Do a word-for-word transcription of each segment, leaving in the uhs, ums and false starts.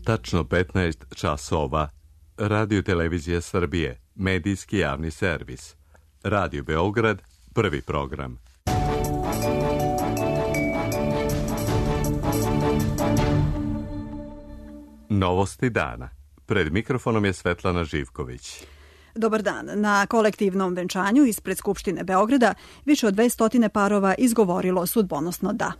Tačno petnaest časova. Radio Televizija Srbije, medijski javni servis. Radio Beograd, prvi program. Novosti dana. Pred mikrofonom je Svetlana Živković. Dobar dan. Na kolektivnom venčanju ispred Skupštine Beograda više od dvesta parova izgovorilo sudbonosno da.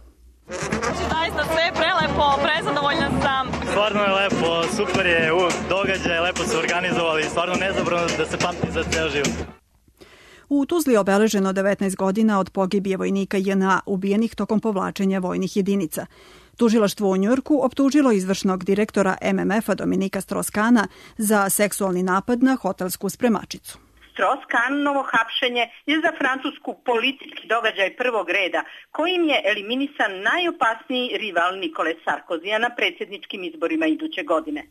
Zaista sve je prelepo, prezadovoljna sam. Stvarno je lepo, super je događaj, lepo su organizovali, stvarno nezabrano da se pamti za ceo život. U Tuzli je obeleženo devetnaest godina od pogibije vojnika J N A ubijenih tokom povlačenja vojnih jedinica. Tužilaštvo u Njujorku optužilo izvršnog direktora M M F-a Dominika Strauss-Kahna za seksualni napad na hotelsku spremačicu. Strauss-Kahnovo hapšenje je za Francusku politički događaj prvog reda, kojim je eliminisan najopasniji rival Nikole Sarkozija na predsjedničkim izborima iduće godine.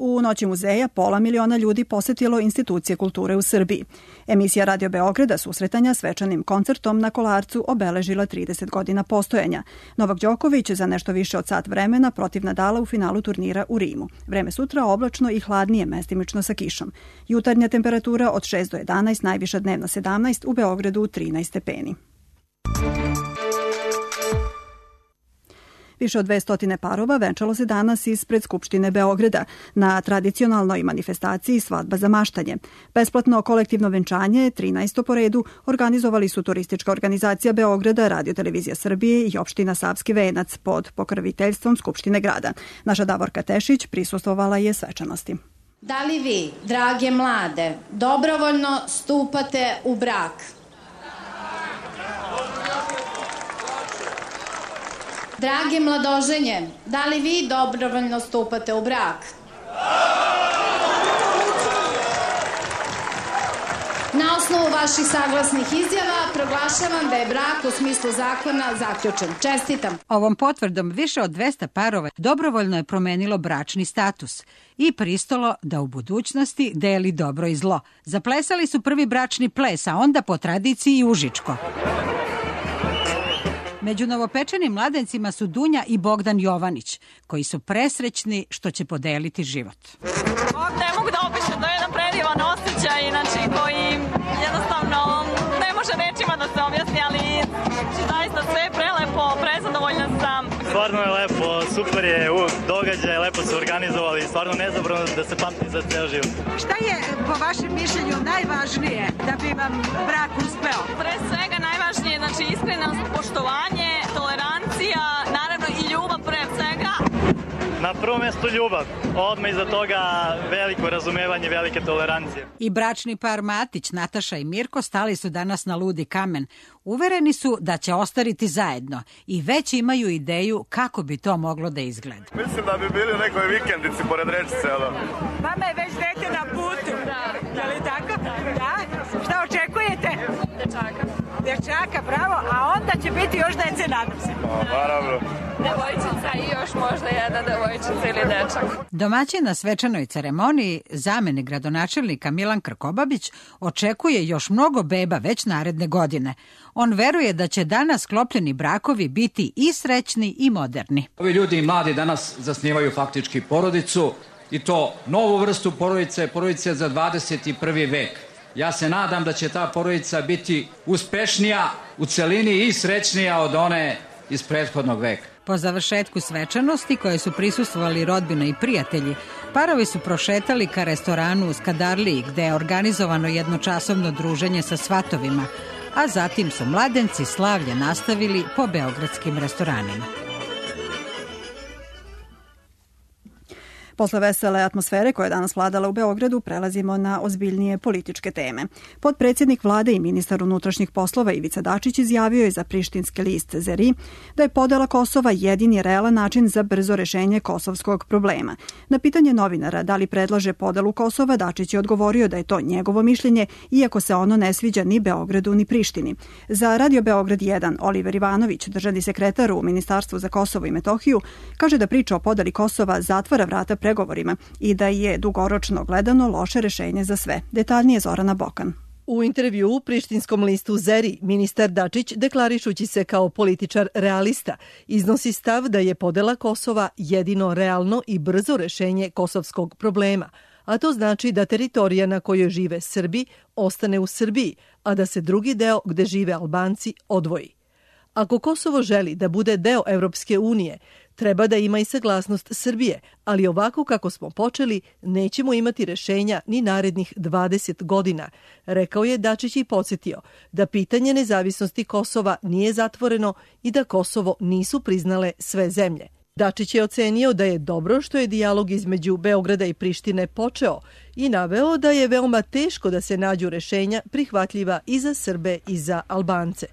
U Noći muzeja pola miliona ljudi posetilo institucije kulture u Srbiji. Emisija Radio Beograda susretanja svečanim koncertom na Kolarcu obeležila trideset godina postojanja. Novak Đoković za nešto više od sat vremena protiv Nadala u finalu turnira u Rimu. Vreme sutra oblačno i hladnije, mestimično sa kišom. Jutarnja temperatura od šest do jedanaest, najviša dnevna sedamnaest, u Beogradu trinaest stepeni. Više od dvesta parova venčalo se danas ispred Skupštine Beograda na tradicionalnoj manifestaciji Svadba za maštanje. Besplatno kolektivno venčanje, trinaesto po redu, organizovali su Turistička organizacija Beograda, Radio Televizija Srbije i opština Savski Venac pod pokroviteljstvom Skupštine grada. Naša Davorka Tešić prisustvovala je svečanosti. Da li vi, drage mlade, dobrovoljno stupate u brak? Drage mladoženje, da li vi dobrovoljno stupate u brak? Na osnovu vaših saglasnih izjava proglašavam da je brak u smislu zakona zaključen. Čestitam. Ovom potvrdom više od dvesta parova dobrovoljno je promenilo bračni status i pristalo da u budućnosti deli dobro i zlo. Zaplesali su prvi bračni ples, a onda po tradiciji i užičko. Među novopečenim mladencima su Dunja i Bogdan Jovanić, koji su presrećni što će podeliti život. Ne mogu da opišem, to je jedan predivan osjećaj, znači, koji jednostavno ne može rečima da se objasni, ali zaista sve je prelepo, prezadovoljna sam. Stvarno je lepo, super je događaj, lepo su organizovali, stvarno nezabrano da se pamti za ceo život. Šta je po vašem mišljenju najvažnije da bi vam brak uspeo? Pre svega najvažnije, znači iskrenost, poštovanje, tolerancija, naravno i ljubav pre svega. Na prvom mjestu ljubav, odmah iza toga veliko razumevanje, velike tolerancije. I bračni par Matić, Nataša i Mirko stali su danas na ludi kamen. Uvereni su da će ostariti zajedno i već imaju ideju kako bi to moglo da izgleda. Mislim da bi bili u nekoj vikendici pored rečice. Vama je već dete na putu. Da. Je li tako? Da. Šta očekujete? Dečaka. Dečaka, bravo. A onda će biti još dece, nadam se. Naravno. Devojčica i još možda jedna devojčica ili dečak. Domaćin na svečanoj ceremoniji, zamenik gradonačelnika Milan Krkobabić, očekuje još mnogo beba već naredne godine. On veruje da će danas sklopljeni brakovi biti i srećni i moderni. Ovi ljudi i mladi danas zasnivaju faktički porodicu i to novu vrstu porodice, porodice za dvadeset prvi vek. Ja se nadam da će ta porodica biti uspešnija u celini i srećnija od one iz prethodnog veka. Po završetku svečanosti koje su prisustvovali rodbina i prijatelji, parovi su prošetali ka restoranu u Skadarliji gde je organizovano jednočasovno druženje sa svatovima, a zatim su mladenci slavlje nastavili po beogradskim restoranima. Posle vesele atmosfere koja je danas vladala u Beogradu, prelazimo na ozbiljnije političke teme. Potpredsjednik vlade i ministar unutrašnjih poslova Ivica Dačić izjavio je za prištinski list Zeri da je podela Kosova jedini realan način za brzo rešenje kosovskog problema. Na pitanje novinara da li predlaže podelu Kosova, Dačić je odgovorio da je to njegovo mišljenje, iako se ono ne sviđa ni Beogradu ni Prištini. Za Radio Beograd jedan Oliver Ivanović, državni sekretar u Ministarstvu za Kosovo i Metohiju, kaže da priča o podeli Kosova zatvara vrata pregovorima i da je dugoročno gledano loše rešenje za sve. Detaljnije Zorana Bokan. U intervju u prištinskom listu Zeri, ministar Dačić, deklarišući se kao političar realista, iznosi stav da je podela Kosova jedino realno i brzo rešenje kosovskog problema, a to znači da teritorija na kojoj žive Srbi ostane u Srbiji, a da se drugi deo gde žive Albanci odvoji. Ako Kosovo želi da bude deo Evropske unije, treba da ima i saglasnost Srbije, ali ovako kako smo počeli, nećemo imati rešenja ni narednih dvadeset godina, rekao je Dačić i podsjetio da pitanje nezavisnosti Kosova nije zatvoreno i da Kosovo nisu priznale sve zemlje. Dačić je ocenio da je dobro što je dijalog između Beograda i Prištine počeo i naveo da je veoma teško da se nađu rešenja prihvatljiva i za Srbe i za Albance.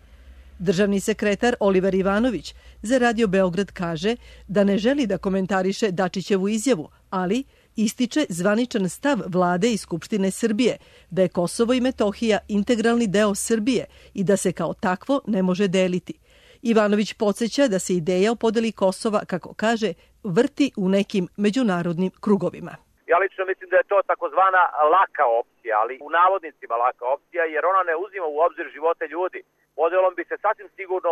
Državni sekretar Oliver Ivanović za Radio Beograd kaže da ne želi da komentariše Dačićevu izjavu, ali ističe zvaničan stav Vlade i Skupštine Srbije da je Kosovo i Metohija integralni deo Srbije i da se kao takvo ne može deliti. Ivanović podsjeća da se ideja o podeli Kosova, kako kaže, vrti u nekim međunarodnim krugovima. Ja lično mislim da je to takozvana laka opcija, ali u navodnicima laka opcija, jer ona ne uzima u obzir živote ljudi. Podelom bi se sasvim sigurno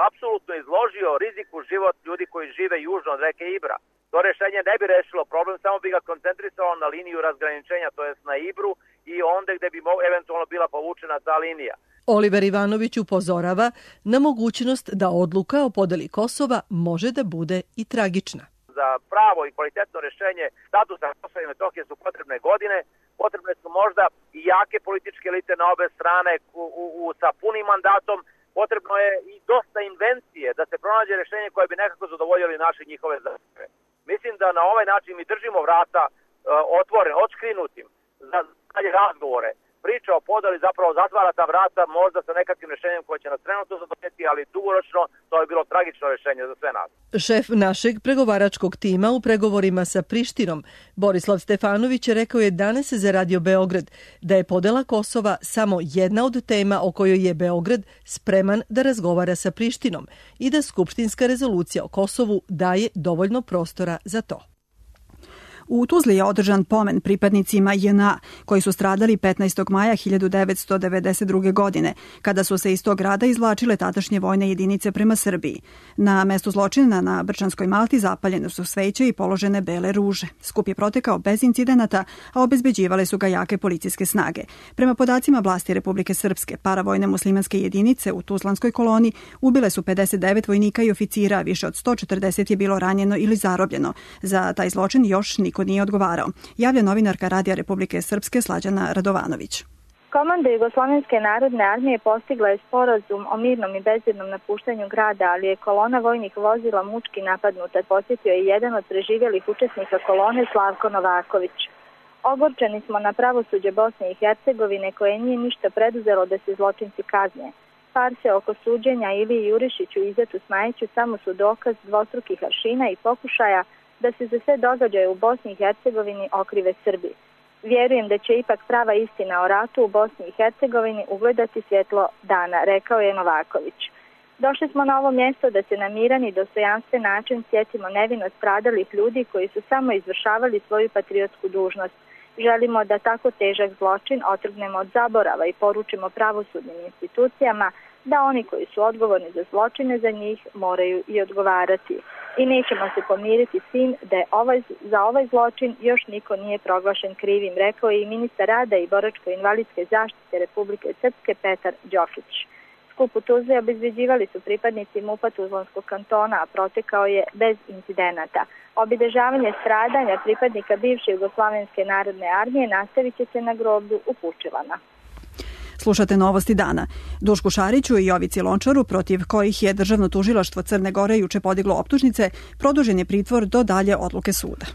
apsolutno izložio riziku život ljudi koji žive južno od reke Ibra. To rešenje ne bi rešilo problem, samo bi ga koncentrisalo na liniju razgraničenja, to jest na Ibru i onda gde bi eventualno bila povučena ta linija. Oliver Ivanović upozorava na mogućnost da odluka o podeli Kosova može da bude i tragična. Za pravo i kvalitetno rešenje statusa Kosova i Metohije su potrebne godine, potrebne su možda i jake političke elite na obe strane u, u, u, sa punim mandatom, potrebno je i dosta invencije da se pronađe rešenje koje bi nekako zadovoljili naše njihove zahteve. Mislim da na ovaj način mi držimo vrata uh, otvorene, odškrinutim za dalje razgovore. Priča o podeli zapravo zatvara ta vrata možda sa nekakvim rešenjem koje će nas trenutno zadovoljiti, ali dugoročno to je bilo tragično rešenje za sve nas. Šef našeg pregovaračkog tima u pregovorima sa Prištinom, Borislav Stefanović, rekao je danas za Radio Beograd da je podela Kosova samo jedna od tema o kojoj je Beograd spreman da razgovara sa Prištinom i da skupštinska rezolucija o Kosovu daje dovoljno prostora za to. U Tuzli je održan pomen pripadnicima J N A koji su stradali petnaestog maja hiljadu devetsto devedeset druge. godine, kada su se iz tog grada izvlačile tadašnje vojne jedinice prema Srbiji. Na mestu zločina na Brčanskoj Malti zapaljene su sveće i položene bele ruže. Skup je protekao bez incidenata, a obezbeđivale su ga jake policijske snage. Prema podacima vlasti Republike Srpske, paravojne muslimanske jedinice u Tuzlanskoj koloni ubile su pedeset devet vojnika i oficira, a više od sto četrdeset je bilo ranjeno ili zarobljeno. Za taj zločin još niko nije odgovarao, javlja novinarka Radija Republike Srpske Slađana Radovanović. Komanda Jugoslovenske narodne armije postigla je sporazum o mirnom i bezbednom napuštanju grada, ali je kolona vojnih vozila mučki napadnuta, podsjetio je jedan od preživjelih učesnika kolone Slavko Novaković. Ogorčeni smo na pravosuđe Bosne i Hercegovine koje nije ništa preduzelo da se zločinci kazne. Farse oko suđenja Iliji Jurišiću i Izetu Smajiću samo su dokaz dvostrukih aršina i pokušaja da se za sve događaje u Bosni i Hercegovini okrive Srbi. Vjerujem da će ipak prava istina o ratu u Bosni i Hercegovini ugledati svjetlo dana, rekao je Novaković. Došli smo na ovo mjesto da se na miran i dostojanstven način sjetimo nevino stradalih ljudi koji su samo izvršavali svoju patriotsku dužnost. Želimo da tako težak zločin otrgnemo od zaborava i poručimo pravosudnim institucijama da oni koji su odgovorni za zločine za njih moraju i odgovarati. I nećemo se pomiriti s tim da je ovaj, za ovaj zločin još niko nije proglašen krivim, rekao je i ministar rada i boračko-invalidske zaštite Republike Srpske Petar Đokić. Skup u Tuzli obezbeđivali su pripadnici MUP-a Tuzlanskog kantona, a protekao je bez incidenata. Obilježavanje stradanja pripadnika bivše Jugoslovenske narodne armije nastavit će se na groblju u Pučilama. Slušate Novosti dana. Dušku Šariću i Jovici Lončaru, protiv kojih je Državno tužilaštvo Crne Gore juče podiglo optužnice, produžen je pritvor do dalje odluke suda.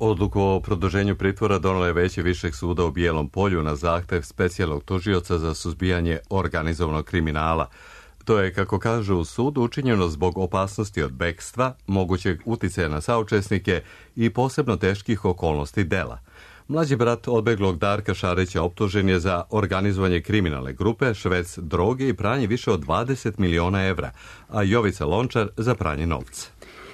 Odluku o produženju pritvora donelo je Veće višeg suda u Bijelom Polju na zahtev specijalnog tužioca za suzbijanje organizovanog kriminala. To je, kako kažu u sudu, učinjeno zbog opasnosti od bekstva, mogućeg uticaja na saučesnike i posebno teških okolnosti dela. Mlađi brat odbeglog Darka Šarića optužen je za organizovanje kriminalne grupe, šverc droge i pranje više od dvadeset miliona evra, a Jovica Lončar za pranje novca.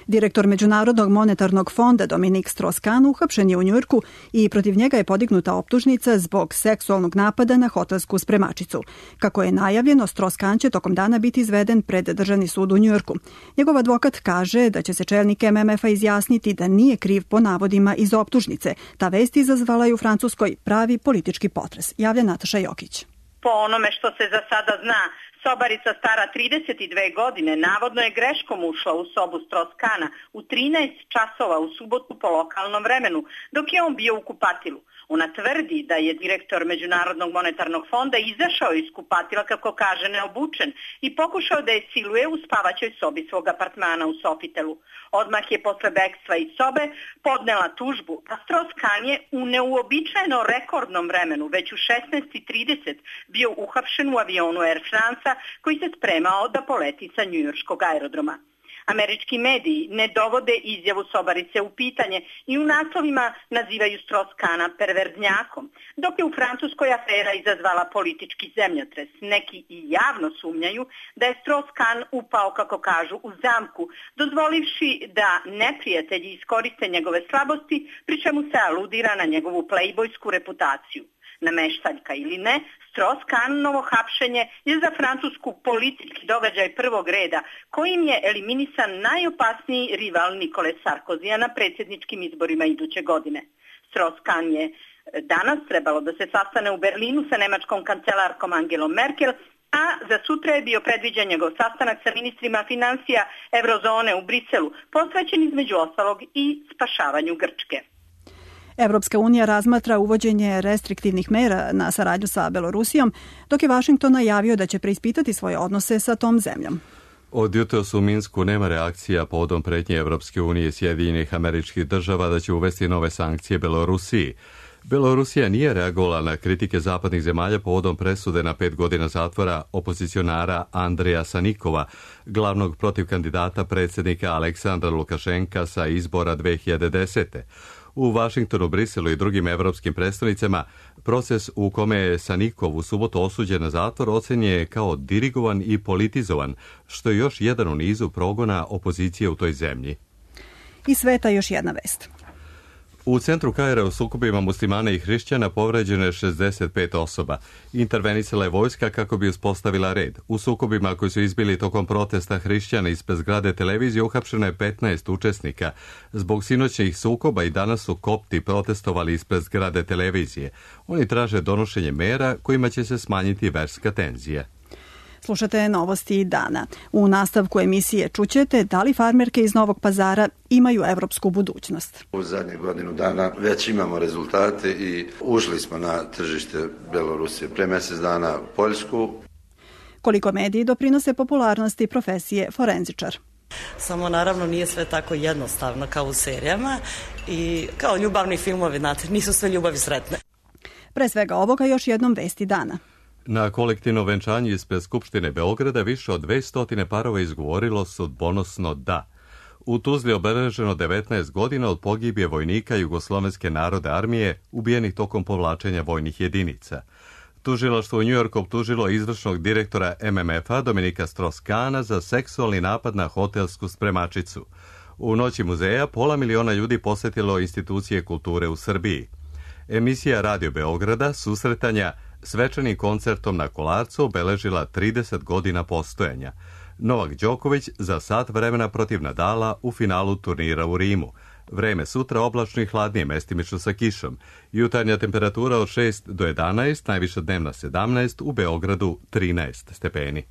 Direktor Međunarodnog monetarnog fonda Dominik Strauss-Kahn uhapšen je u Njujorku i protiv njega je podignuta optužnica zbog seksualnog napada na hotelsku spremačicu. Kako je najavljeno, Strauss-Kahn će tokom dana biti izveden pred Državni sud u Njujorku. Njegov advokat kaže da će se čelnik M M F-a izjasniti da nije kriv po navodima iz optužnice. Ta vest izazvala je u Francuskoj pravi politički potres. Javlja Nataša Jokić. Po onome što se za sada zna, sobarica stara trideset dve godine navodno je greškom ušla u sobu Strauss-Kahna u trinaest časova u subotu po lokalnom vremenu, dok je on bio u kupatilu. Ona tvrdi da je direktor Međunarodnog monetarnog fonda izašao iz kupatila, kako kaže, neobučen i pokušao da je siluje u spavaćoj sobi svog apartmana u Sofitelu. Odmah je posle bekstva iz sobe podnela tužbu, a Strauss-Kahn je u neuobičajeno rekordnom vremenu, već u šesnaest i trideset, bio uhapšen u avionu Air France-a koji se spremao da poleti sa njujorškog aerodroma. Američki mediji ne dovode izjavu sobarice u pitanje i u naslovima nazivaju Strauss-Kahna perverznjakom, dok je u Francuskoj afera izazvala politički zemljotres. Neki i javno sumnjaju da je Strauss-Kahn upao, kako kažu, u zamku, dozvolivši da neprijatelji iskoriste njegove slabosti, pri čemu se aludira na njegovu plejbojsku reputaciju. Nameštaljka ili ne, Strauss-Kahnovo hapšenje je za Francusku politički događaj prvog reda, kojim je eliminisan najopasniji rival Nikole Sarkozija na predsjedničkim izborima iduće godine. Strauss-Kahn je danas trebalo da se sastane u Berlinu sa nemačkom kancelarkom Angelom Merkel, a za sutra je bio predviđen njegov sastanak sa ministrima financija Eurozone u Briselu, posvećen između ostalog i spašavanju Grčke. Evropska unija razmatra uvođenje restriktivnih mera na saradnju sa Belorusijom, dok je Vašington najavio da će preispitati svoje odnose sa tom zemljom. Od jutros u Minsku nema reakcija povodom pretnje Evropske unije i Sjedinjenih Američkih Država da će uvesti nove sankcije Belorusiji. Belorusija nije reagovala na kritike zapadnih zemalja povodom presude na pet godina zatvora opozicionara Andreja Sanikova, glavnog protiv kandidata predsjednika Aleksandra Lukašenka sa izbora dve hiljade desete. U Vašingtonu, Briselu i drugim evropskim predstavnicama proces u kome je Sanikov u subotu osuđen na zatvor ocenjen je kao dirigovan i politizovan, što je još jedan u nizu progona opozicije u toj zemlji. Iz sveta još jedna vest. U centru Kaira u sukobima muslimana i hrišćana povređeno je šezdeset pet osoba. Intervenisala je vojska kako bi uspostavila red. U sukobima koji su izbili tokom protesta hrišćana ispred zgrade televizije uhapšeno je petnaest učesnika. Zbog sinoćnih sukoba i danas su kopti protestovali ispred zgrade televizije. Oni traže donošenje mera kojima će se smanjiti verska tenzija. Slušate novosti dana. U nastavku emisije čućete da li farmerke iz Novog Pazara imaju evropsku budućnost. U zadnje godinu dana već imamo rezultate i ušli smo na tržište Belorusije, pre mjesec dana Poljsku. Koliko mediji doprinose popularnosti profesije forenzičar. Samo naravno nije sve tako jednostavno kao u serijama i kao ljubavni filmovi, znate, nisu sve ljubavi sretne. Pre svega ovoga još jednom vesti dana. Na kolektivnom venčanju ispred Skupštine Beograda više od dvesta parova izgovorilo sudbonosno da. U Tuzli obeleženo devetnaest godina od pogibije vojnika Jugoslovenske narodne armije ubijenih tokom povlačenja vojnih jedinica. Tužilaštvo u Njujorku optužilo izvršnog direktora M M F-a Dominika Strauss-Kahna za seksualni napad na hotelsku spremačicu. U noći muzeja pola miliona ljudi posjetilo institucije kulture u Srbiji. Emisija Radio Beograda susretanja svečanim koncertom na Kolarcu obeležila trideset godina postojanja. Novak Đoković za sat vremena protiv Nadala u finalu turnira u Rimu. Vreme sutra oblačno i hladnije, mestimično sa kišom. Jutarnja temperatura od šest do jedanaest, najviša dnevna sedamnaest, u Beogradu trinaest stepeni.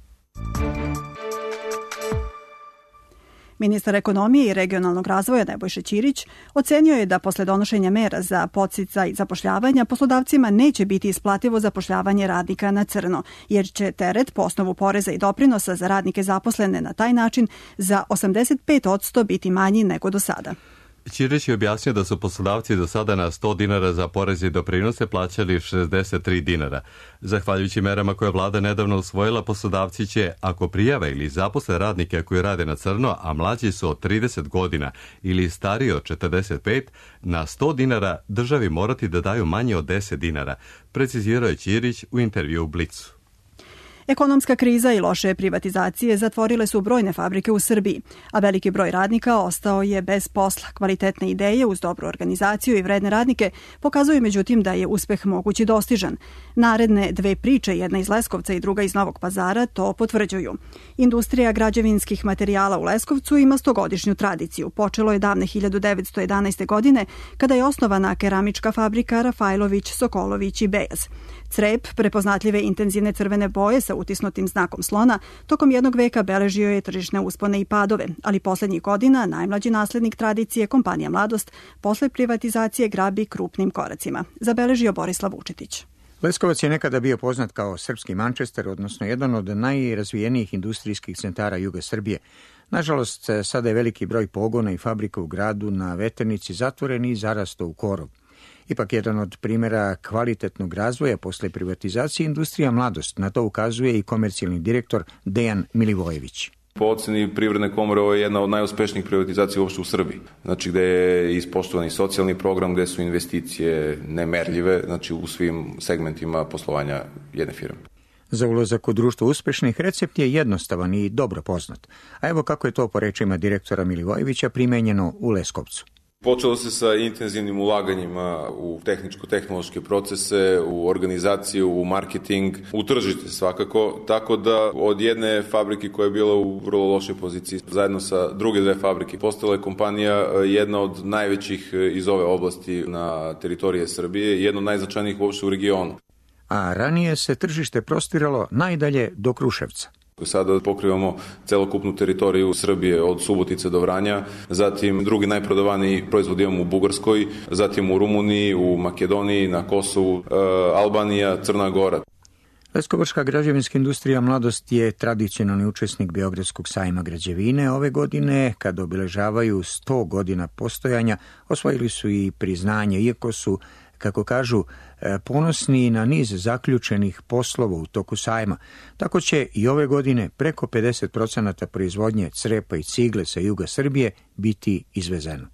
Ministar ekonomije i regionalnog razvoja Nebojša Ćirić ocenio je da posle donošenja mera za podsticaj zapošljavanja poslodavcima neće biti isplativo zapošljavanje radnika na crno, jer će teret po osnovu poreza i doprinosa za radnike zaposlene na taj način za osamdeset pet posto biti manji nego do sada. Ćirić je objasnio da su poslodavci do sada na sto dinara za poreze i doprinose plaćali šezdeset tri dinara. Zahvaljujući merama koje vlada nedavno usvojila, poslodavci će, ako prijave ili zaposle radnike koji rade na crno, a mlađi su od trideset godina ili stariji od četrdeset pet, na sto dinara državi morati da daju manje od deset dinara, precizirao je Ćirić u intervju u Blicu. Ekonomska kriza i loše privatizacije zatvorile su brojne fabrike u Srbiji, a veliki broj radnika ostao je bez posla. Kvalitetne ideje uz dobru organizaciju i vredne radnike pokazuju međutim da je uspeh mogući dostižan. Naredne dve priče, jedna iz Leskovca i druga iz Novog Pazara, to potvrđuju. Industrija građevinskih materijala u Leskovcu ima stogodišnju tradiciju. Počelo je davne hiljadu devetsto jedanaeste. godine kada je osnovana keramička fabrika Rafajlović, Sokolović i Bejaz. Crep, prepoznatljive intenzivne crvene boje sa utisnutim znakom slona, tokom jednog veka beležio je tržišne uspone i padove, ali poslednjih godina najmlađi naslednik tradicije, kompanija Mladost, posle privatizacije grabi krupnim koracima. Zabeležio Borislav Vučetić. Leskovac je nekada bio poznat kao srpski Manchester, odnosno jedan od najrazvijenijih industrijskih centara juga Srbije. Nažalost, sada je veliki broj pogona i fabrika u gradu na Veternici zatvoren i zarastao u korov. Ipak jedan od primjera kvalitetnog razvoja posle privatizacije industrija Mladost. Na to ukazuje i komercijalni direktor Dejan Milivojević. Po oceni Privredne komore ovo je jedna od najuspešnijih privatizacija uopšte u Srbiji. Znači gde je ispoštovan i socijalni program, gde su investicije nemerljive, znači u svim segmentima poslovanja jedne firme. Za ulazak u društvo uspešnih recept je jednostavan i dobro poznat. A evo kako je to po rečima direktora Milivojevića primenjeno u Leskovcu. Počelo se sa intenzivnim ulaganjima u tehničko-tehnološke procese, u organizaciju, u marketing, u tržište svakako, tako da od jedne fabrike koja je bila u vrlo lošoj poziciji, zajedno sa druge dve fabrike, postala je kompanija jedna od najvećih iz ove oblasti na teritorije Srbije, jedna od najznačajnijih uopšte u regionu. A ranije se tržište prostiralo najdalje do Kruševca. Sada pokrivamo celokupnu teritoriju Srbije od Subotice do Vranja, zatim drugi najprodavaniji proizvod imamo u Bugarskoj, zatim u Rumuniji, u Makedoniji, na Kosovu, e, Albanija, Crna Gora. Leskovačka građevinska industrija Mladost je tradicionalni učesnik Beogradskog sajma građevine. Ove godine, kada obeležavaju sto godina postojanja, osvojili su i priznanje, iako su, kako kažu, ponosni na niz zaključenih poslova u toku sajma. Tako će i ove godine preko pedeset procenata proizvodnje crepa i cigle sa juga Srbije biti izvezeno.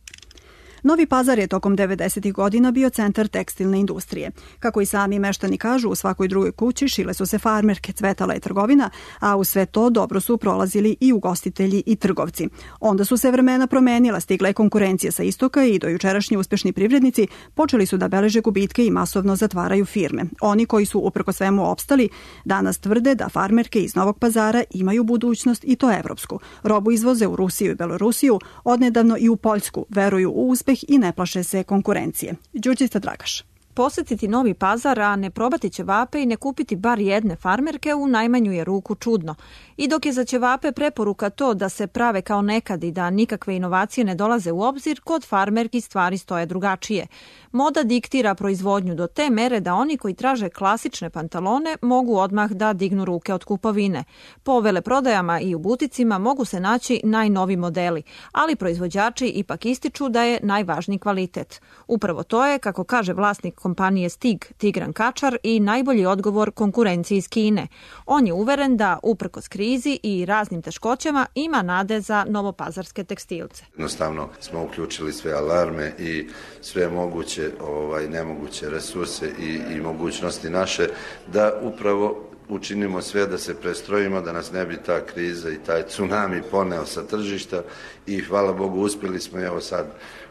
Novi Pazar je tokom devedesetih godina bio centar tekstilne industrije. Kako i sami meštani kažu, u svakoj drugoj kući šile su se farmerke, cvetala je trgovina, a u sve to dobro su prolazili i ugostitelji i trgovci. Onda su se vremena promenila, stigla je konkurencija sa istoka i dojučerašnji uspešni privrednici počeli su da beleže gubitke i masovno zatvaraju firme. Oni koji su uprko svemu opstali, danas tvrde da farmerke iz Novog Pazara imaju budućnost i to evropsku. Robu izvoze u Rusiju i Belorusiju, odnedavno i u Poljsku, veruju u uspeh i ne plaše se konkurencije. Đurđica Dragaš. Posetiti Novi Pazar, a ne probati ćevape i ne kupiti bar jedne farmerke u najmanju je ruku čudno. I dok je za ćevape preporuka to da se prave kao nekad i da nikakve inovacije ne dolaze u obzir, kod farmerki stvari stoje drugačije. Moda diktira proizvodnju do te mere da oni koji traže klasične pantalone mogu odmah da dignu ruke od kupovine. Po veleprodajama i u buticima mogu se naći najnovi modeli, ali proizvođači ipak ističu da je najvažniji kvalitet. Upravo to je, kako kaže vlasnik kompanije Stig, Tigran Kačar, i najbolji odgovor konkurenciji iz Kine. On je uveren da, uprkos krizi i raznim teškoćama, ima nade za novopazarske tekstilce. Jednostavno smo uključili sve alarme i sve moguće, ovaj, nemoguće resurse i, i mogućnosti naše da upravo učinimo sve da se prestrojimo, da nas ne bi ta kriza i taj tsunami poneo sa tržišta i hvala Bogu uspjeli smo, evo sad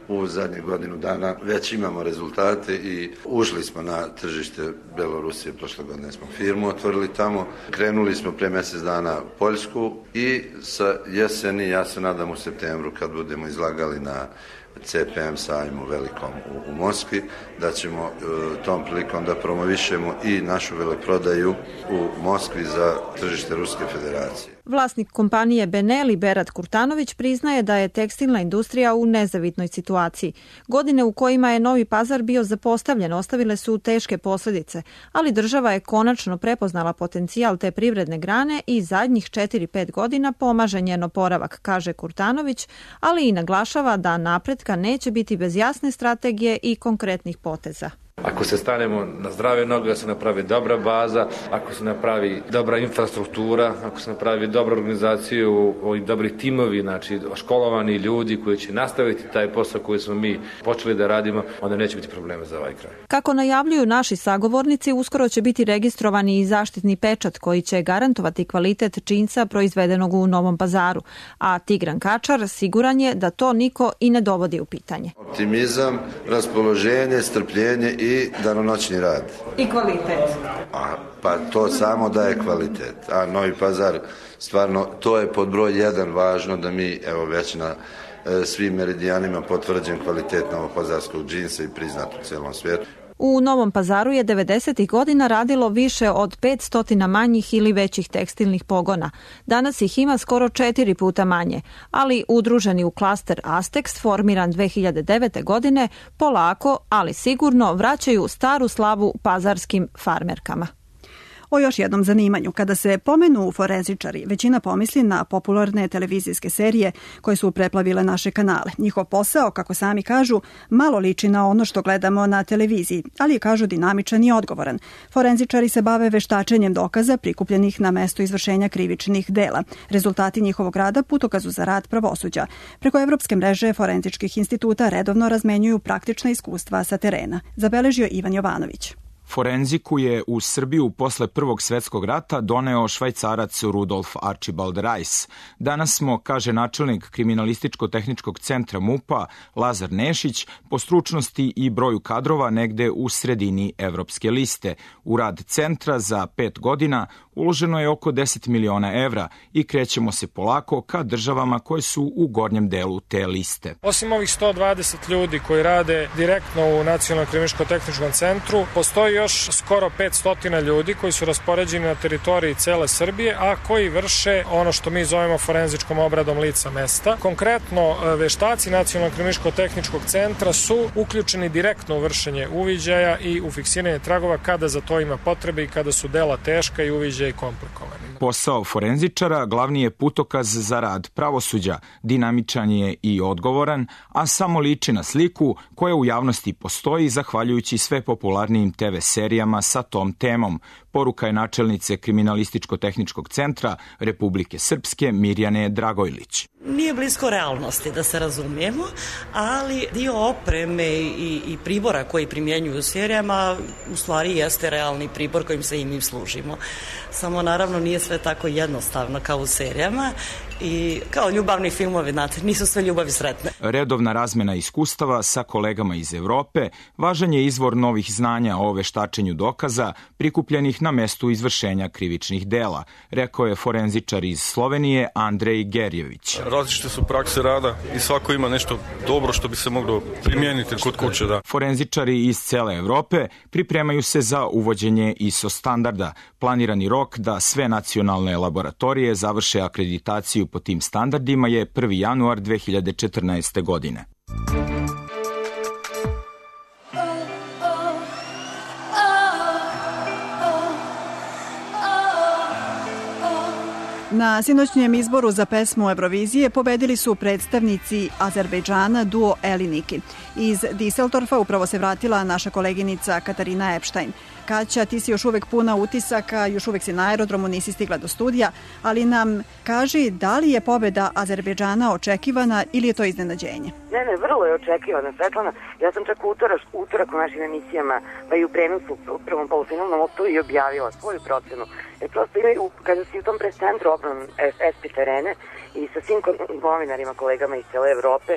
u zadnje godinu dana već imamo rezultate i ušli smo na tržište Belorusije, prošle godine smo firmu otvorili tamo, krenuli smo pre mjesec dana Poljsku i sa jeseni, ja se nadam u septembru kad budemo izlagali na C P M sajmu velikom u, u Moskvi, da ćemo e, tom prilikom da promovišemo i našu veleprodaju u Moskvi za tržište Ruske federacije. Vlasnik kompanije Benelli, Berat Kurtanović, priznaje da je tekstilna industrija u nezavidnoj situaciji. Godine u kojima je Novi Pazar bio zapostavljen ostavile su teške posljedice, ali država je konačno prepoznala potencijal te privredne grane i zadnjih četiri pet godina pomaže njen oporavak, kaže Kurtanović, ali i naglašava da napretka neće biti bez jasne strategije i konkretnih poteza. Ako se stanemo na zdrave noge, ako se napravi dobra baza, ako se napravi dobra infrastruktura, ako se napravi dobra organizacija, ovi dobri timovi, znači školovani ljudi koji će nastaviti taj posao koji smo mi počeli da radimo, onda neće biti problema za ovaj kraj. Kako najavljuju naši sagovornici, uskoro će biti registrovani i zaštitni pečat koji će garantovati kvalitet činca proizvedenog u Novom Pazaru, a Tigran Kačar siguran je da to niko i ne dovodi u pitanje. Optimizam, raspoloženje, strpljenje i danonoćni rad. I kvalitet. A, pa to samo daje kvalitet. A Novi Pazar, stvarno, to je pod broj jedan važno da mi, evo već na e, svim meridijanima potvrđen kvalitet novopazarskog džinsa i priznat u celom svijetu. U Novom Pazaru je devedesetih godina radilo više od petsto manjih ili većih tekstilnih pogona. Danas ih ima skoro četiri puta manje, ali udruženi u klaster Astex, formiran dve hiljade devete. godine, polako, ali sigurno vraćaju staru slavu pazarskim farmerkama. O još jednom zanimanju. Kada se pomenu forenzičari, većina pomisli na popularne televizijske serije koje su preplavile naše kanale. Njihov posao, kako sami kažu, malo liči na ono što gledamo na televiziji, ali je, kažu, dinamičan i odgovoran. Forenzičari se bave veštačenjem dokaza prikupljenih na mesto izvršenja krivičnih dela. Rezultati njihovog rada putokazu za rad pravosuđa. Preko Evropske mreže forenzičkih instituta redovno razmenjuju praktična iskustva sa terena. Zabeležio Ivan Jovanović. Forenziku je u Srbiju posle Prvog svetskog rata doneo Švajcarac Rudolf Archibald Reis. Danas smo, kaže načelnik Kriminalističko-tehničkog centra MUP-a Lazar Nešić, po stručnosti i broju kadrova negde u sredini evropske liste. U rad centra za pet godina uloženo je oko deset miliona evra i krećemo se polako ka državama koje su u gornjem delu te liste. Osim ovih sto dvadeset ljudi koji rade direktno u Nacionalnom kriminalističko-tehničkom centru, postoji još skoro petsto ljudi koji su raspoređeni na teritoriji cele Srbije, a koji vrše ono što mi zovemo forenzičkom obradom lica mesta. Konkretno, veštaci Nacionalnog kriminalističko-tehničkog centra su uključeni direktno u vršenje uviđaja i u fiksiranje tragova kada za to ima potrebe i kada su dela teška i uviđaji komplikovani. Posao forenzičara glavni je putokaz za rad pravosuđa, dinamičan je i odgovoran, a samo liči na sliku koja u javnosti postoji zahvaljujući sve popularnijim te ve serijama sa tom temom. Poruka je načelnice Kriminalističko-tehničkog centra Republike Srpske Mirjane Dragojlić. Nije blisko realnosti, da se razumijemo, ali dio opreme i, i pribora koji primjenjuju u serijama u stvari jeste realni pribor kojim se i mi služimo. Samo naravno nije sve tako jednostavno kao u serijama i kao ljubavni filmovi, znate, nisu sve ljubavi sretne. Redovna razmena iskustava sa kolegama iz Evrope važan je izvor novih znanja o veštačenju dokaza prikupljenih na mestu izvršenja krivičnih dela, rekao je forenzičar iz Slovenije Andrej Gerjević. Različite su prakse rada i svako ima nešto dobro što bi se moglo primijeniti kod kuće. Da. Forenzičari iz cele Evrope pripremaju se za uvođenje I S O standarda. Planirani rok da sve nacionalne laboratorije završe akreditaciju po tim standardima je prvi januar dve hiljade četrnaeste. godine. Na sinoćnjem izboru za pesmu Eurovizije pobedili su predstavnici Azerbejdžana duo Eliniki. Iz Düsseldorfa upravo se vratila naša koleginica Katarina Epstein. Kaća, ti si još uvek puna utisaka, još uvek si na aerodromu, nisi stigla do studija, ali nam kaži da li je pobeda Azerbejdžana očekivana ili je to iznenađenje? Ne, ne, vrlo je očekivana, Svetlana. Ja sam čak utorak, utorak u našim emisijama, pa i u prenosu u prvom polufinalnom optu i objavila svoju procenu. Jer prosto imaju, kada si u tom prescentru obran es pe terene i sa svim novinarima, kolegama iz cele Evrope,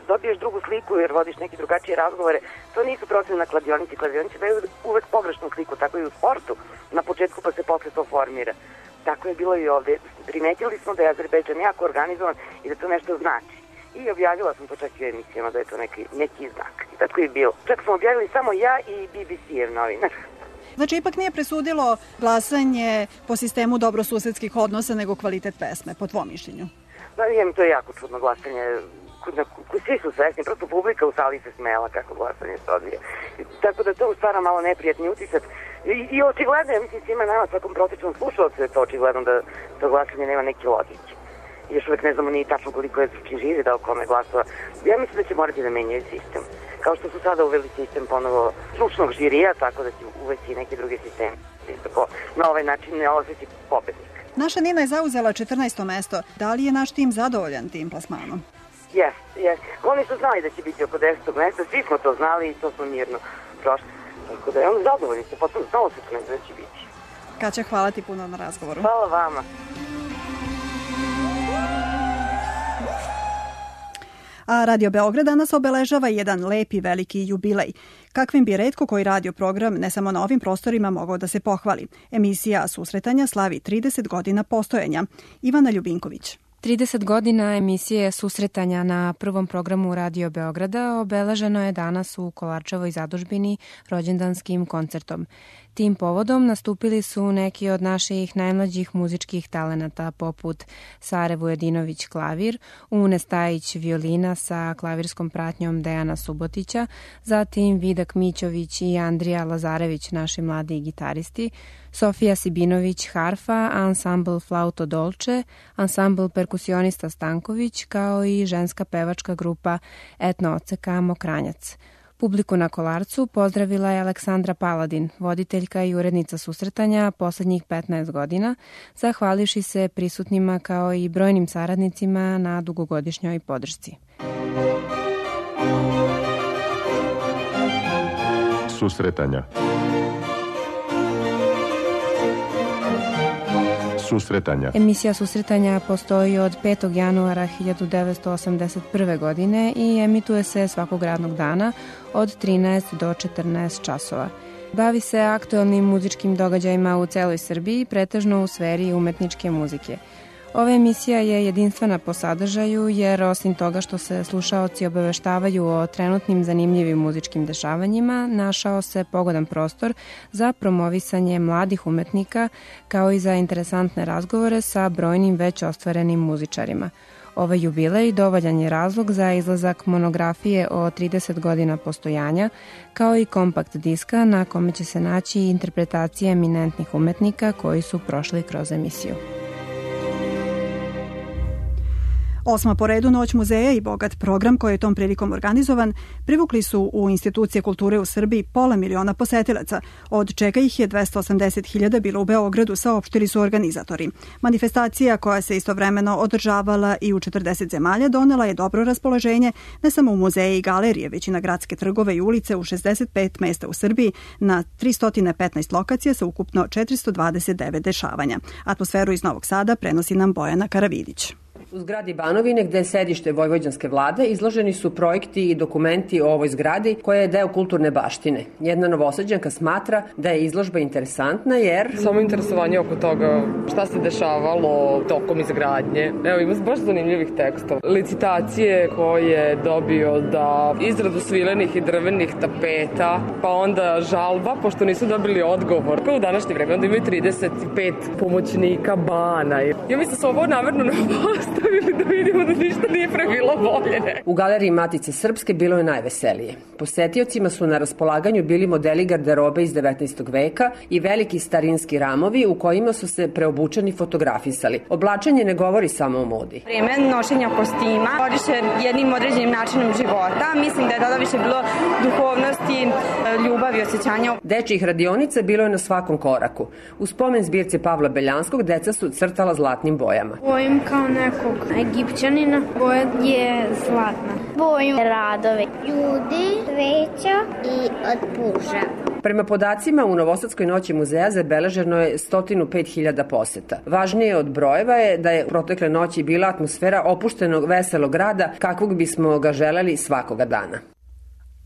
dobiješ drugu sliku jer vodiš neke drugačije razgovore. To nisu procene na kladionici. Kladionici daju uvek pogrešnu sliku, tako i u sportu. Na početku pa se posle to formira. Tako je bilo i ovde. Primetili smo da je Azerbejdžan jako organizovan i da to nešto znači. I objavila sam to čak i u emisijama da je to neki, neki znak. I tako je bilo. Čak smo objavili samo ja i be be ce-ev novinar. Znači, ipak nije presudilo glasanje po sistemu dobrosusedskih odnosa, nego kvalitet pesme, po tvom mišljenju? Da, vidim, to je jako čudno glasanje. Svi su svesni, prosto publika u sali se smela kako glasanje se odvije. Tako da to stvara malo neprijatni utisak. I, i očigledno, ja mislim, svima nama, svakom prosječnom slušalcu je to očigledno da to glasanje nema neke logike. još uvek ne znamo ni tačno koliko je knjiživi dao kome glasova. Ja mislim da će morati da menjaju sistem. Kao što su sada uveli sistem ponovo stručnog žirija, tako da će uvesti neki drugi sistem. Tako, na ovaj način ne osjeti pobednik. Naša Nina je zauzela četrnaesto mesto. Da li je naš tim zadovoljan tim plasmanom? Jes, jes. Oni su znali da će biti oko desetog mesta, svi smo to znali i to smo mirno prošli. Tako da je on zadovoljni se, potom znao se da će biti. Kaća, hvala ti puno na razgovoru. Hvala vama. A Radio Beograd danas obeležava jedan lepi veliki jubilej. Kakvim bi retko koji radio program ne samo na ovim prostorima mogao da se pohvali. Emisija Susretanja slavi trideset godina postojanja. Ivana Ljubinković. trideset godina emisije Susretanja na prvom programu Radio Beograda obeleženo je danas u Kolarčevoj zadužbini rođendanskim koncertom. Tim povodom nastupili su neki od naših najmlađih muzičkih talenata poput Sare Vujadinović klavir, Une Stajić violina sa klavirskom pratnjom Dejana Subotića, zatim Vidak Mićović i Andrija Lazarević, naši mladi gitaristi, Sofija Sibinović harfa, ansambl Flauto Dolce, ansambl perkusionista Stanković, kao i ženska pevačka grupa Etno Oceka Mokranjac. Publiku na Kolarcu pozdravila je Aleksandra Paladin, voditeljka i urednica Susretanja poslednjih petnaest godina, zahvalivši se prisutnima kao i brojnim saradnicima na dugogodišnjoj podršci. Susretanja. Susretanja. Emisija Susretanja postoji od petog januara hiljadu devetsto osamdeset prve. godine i emituje se svakog radnog dana od trinaest do četrnaest časova. Bavi se aktuelnim muzičkim događajima u celoj Srbiji, pretežno u sferi umetničke muzike. Ova emisija je jedinstvena po sadržaju jer osim toga što se slušaoci obaveštavaju o trenutnim zanimljivim muzičkim dešavanjima, našao se pogodan prostor za promovisanje mladih umetnika kao i za interesantne razgovore sa brojnim već ostvarenim muzičarima. Ovaj jubilej dovoljan je razlog za izlazak monografije o trideset godina postojanja, kao i kompakt diska na kome će se naći interpretacije eminentnih umetnika koji su prošli kroz emisiju. Osma po redu Noć muzeja i bogat program koji je tom prilikom organizovan privukli su u institucije kulture u Srbiji pola miliona posetilaca, od čega ih je dvesta osamdeset hiljada bilo u Beogradu, saopštili su organizatori. Manifestacija koja se istovremeno održavala i u četrdeset zemalja donela je dobro raspoloženje ne samo u muzeje i galerije, već i na gradske trgove i ulice u šezdeset pet mesta u Srbiji na tristo petnaest lokacija sa ukupno četiristo dvadeset devet dešavanja. Atmosferu iz Novog Sada prenosi nam Bojana Karavidić. U zgradi Banovine, gde je sedište vojvođanske vlade, izloženi su projekti i dokumenti o ovoj zgradi koja je deo kulturne baštine. Jedna Novosađanka smatra da je izložba interesantna jer... Samo interesovanje oko toga šta se dešavalo tokom izgradnje. Evo, ima baš zanimljivih tekstova. Licitacije koje je dobio da izradu svilenih i drvenih tapeta, pa onda žalba, pošto nisu dobili odgovor. Kao u današnje vreme, onda imaju trideset pet pomoćnika bana. Ja mislim da su ovo namerno ne postavili da vidimo da ništa nije pre bilo bolje. U galeriji Matice Srpske bilo je najveselije. Posetiocima su na raspolaganju bili modeli garderobe iz devetnaestog veka i veliki starinski ramovi u kojima su se preobučeni fotografisali. Oblačenje ne govori samo o modi. Vreme nošenja kostima vodiše jednim određenim načinom života. Mislim da je tada više bilo duhovnosti, ljubavi, osjećanja. Dečjih radionica bilo je na svakom koraku. U spomen zbirce Pavla Beljanskog deca su crtala zlatnim bojama. Bojim kao nekog Egipćanina, boja je zlatna. Bojim radove, ljudi, sveća i od puža. Prema podacima, u Novosadskoj noći muzeja zabeleženo je sto pet hiljada poseta. Važnije od brojeva je da je protekle noći bila atmosfera opuštenog veselog grada kakvog bismo ga želeli svakoga dana.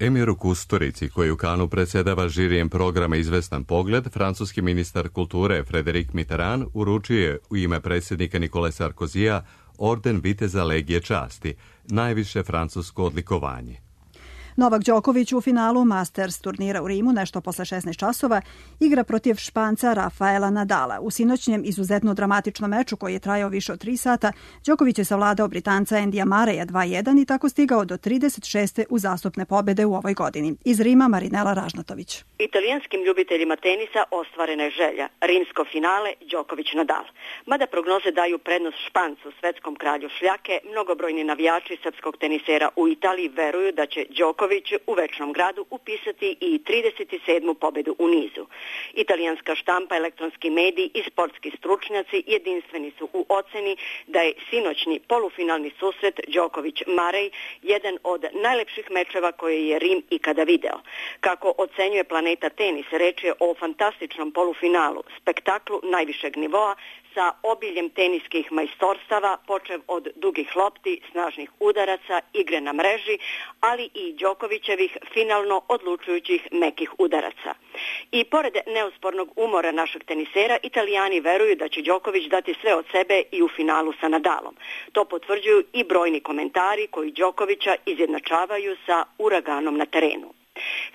Emiru Kusturici, koji u Kanu predsedava žirijem programa Izvestan pogled, francuski ministar kulture Frédéric Mitterrand uručio je u ime predsjednika Nikole Sarkozija orden Viteza Legije časti, najviše francusko odlikovanje. Novak Đoković u finalu Masters turnira u Rimu nešto posle šesnaest časova igra protiv Španca Rafaela Nadala. U sinoćnjem izuzetno dramatičnom meču koji je trajao više od tri sata, Đoković je savladao Britanca Endija Mareja dva jedan i tako stigao do trideset šeste uzastopne pobede u ovoj godini. Iz Rima Marinela Ražnatović. Italijanskim ljubiteljima tenisa ostvarena je želja. Rimsko finale Đoković-Nadal. Mada prognoze daju prednost Špancu, svetskom kralju šljake, mnogobrojni navijači srpskog tenisera u Italiji veruju da će Đoković u večnom gradu upisati i trideset sedmu pobedu u nizu. Italijanska štampa, elektronski mediji i sportski stručnjaci jedinstveni su u oceni da je sinoćni polufinalni susret Đoković-Marej jedan od najlepših mečeva koje je Rim ikada video. Kako ocenjuje Planeta tenis, reč je o fantastičnom polufinalu, spektaklu najvišeg nivoa sa obiljem teniskih majstorstava, počev od dugih lopti, snažnih udaraca, igre na mreži, ali i Đokovićevih finalno odlučujućih mekih udaraca. I pored neuspornog umora našeg tenisera, Italijani veruju da će Đoković dati sve od sebe i u finalu sa Nadalom. To potvrđuju i brojni komentari koji Đokovića izjednačavaju sa uraganom na terenu.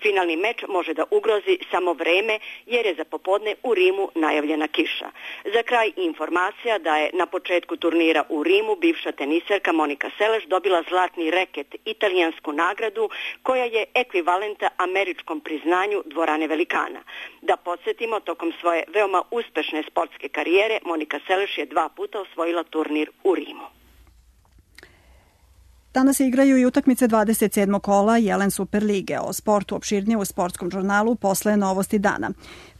Finalni meč može da ugrozi samo vreme jer je za popodne u Rimu najavljena kiša. Za kraj informacija da je na početku turnira u Rimu bivša teniserka Monika Seleš dobila zlatni reket, italijansku nagradu koja je ekvivalenta američkom priznanju dvorane velikana. Da podsjetimo, tokom svoje veoma uspešne sportske karijere Monika Seleš je dva puta osvojila turnir u Rimu. Danas se igraju i utakmice dvadeset sedmog kola Jelen Super lige. O sportu opširnije u sportskom žurnalu posle Novosti dana.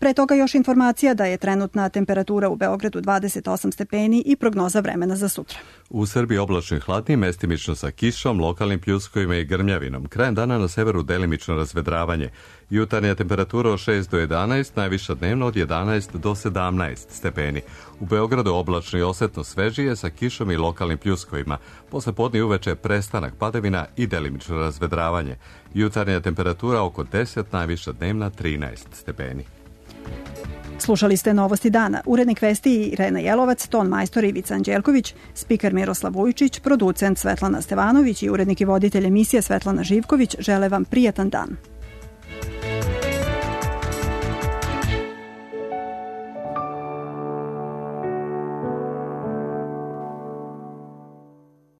Pre toga još informacija da je trenutna temperatura u Beogradu dvadeset osam stepeni i prognoza vremena za sutra. U Srbiji oblačno i hladnije, mestimično sa kišom, lokalnim pljuskovima i grmljavinom. Krajem dana na severu delimično razvedravanje. Jutarnja temperatura od šest do jedanaest, najviša dnevno od jedanaest do sedamnaest stepeni. U Beogradu oblačno i osetno svežije sa kišom i lokalnim pljuskovima. Posle podne i uveče prestanak padavina i delimično razvedravanje. Jutarnja temperatura oko deset, najviša dnevna trinaest stepeni. Slušali ste Novosti dana. Urednik vesti Irena Jelovac, ton majstor Ivica Anđelković, spiker Miroslav Vujčić, producent Svetlana Stevanović i urednik i voditelj emisije Svetlana Živković žele vam prijatan dan.